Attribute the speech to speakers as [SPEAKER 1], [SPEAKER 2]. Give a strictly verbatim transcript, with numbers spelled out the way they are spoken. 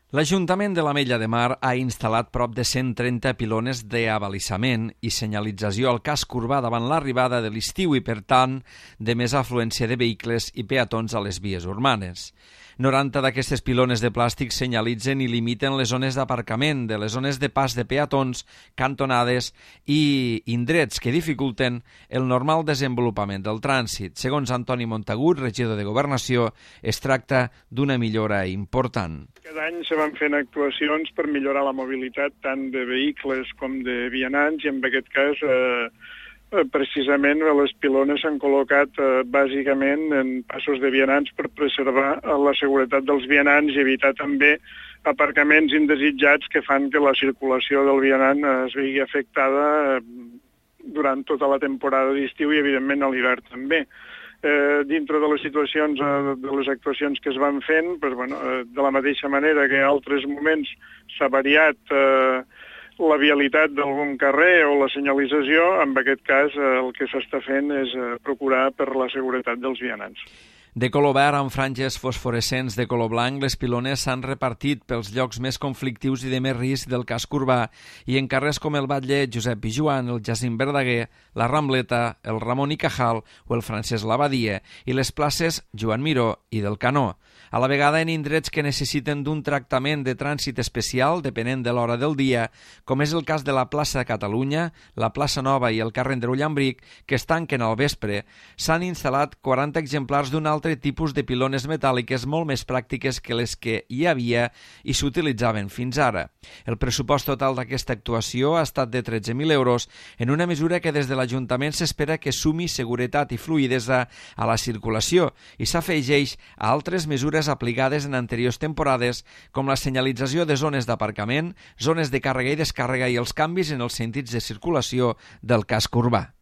[SPEAKER 1] L'Ajuntament de l'Ametlla de Mar ha instal·lat prop de cent trenta pilones d'abalisament i senyalització al casc urbà davant l'arribada de l'estiu i, per tant, de més afluència de vehicles i peatons a les vies urbanes. noranta d'aquestes pilones de plàstic senyalitzen i limiten les zones d'aparcament, de les zones de pas de peatons, cantonades i indrets que dificulten el normal desenvolupament del trànsit. Segons Antoni Montagut, regidor de Governació, es tracta d'una millora important.
[SPEAKER 2] Cada any se van fent actuacions per millorar la mobilitat tant de vehicles com de vianants i en aquest cas eh, precisament les pilones s'han col·locat eh, bàsicament en passos de vianants per preservar la seguretat dels vianants i evitar també aparcaments indesitjats que fan que la circulació del vianant es vegi afectada eh, durant tota la temporada d'estiu i evidentment a l'hivern també. Eh, dintre de les situacions, eh, de les actuacions que es van fent, pues, bueno, eh, de la mateixa manera que en altres moments s'ha variat eh, la vialitat d'algun carrer o la senyalització, en aquest cas eh, el que s'està fent és eh, procurar per la seguretat dels vianants.
[SPEAKER 1] De color verd amb franges fosforescents de color blanc, les pilones s'han repartit pels llocs més conflictius i de més risc del casc urbà i en carrers com el Batlle Josep Pijuan, el Jacint Verdaguer, la Rambleta, el Ramon i Cajal o el Francesc Labadia i les places Joan Miró i del Canó. A la vegada en indrets que necessiten d'un tractament de trànsit especial depenent de l'hora del dia, com és el cas de la plaça Catalunya, la plaça Nova i el carrer Ullambric, que es tanquen al vespre, s'han instal·lat quaranta exemplars d'un altre tipus de pilones metàl·liques molt més pràctiques que les que hi havia i s'utilitzaven fins ara. El pressupost total d'aquesta actuació ha estat de tretze mil euros en una mesura que des de l'Ajuntament s'espera que sumi seguretat i fluïdesa a la circulació i s'afegeix a altres mesures aplicades en anteriors temporades com la senyalització de zones d'aparcament, zones de càrrega i descàrrega i els canvis en els sentits de circulació del casc urbà.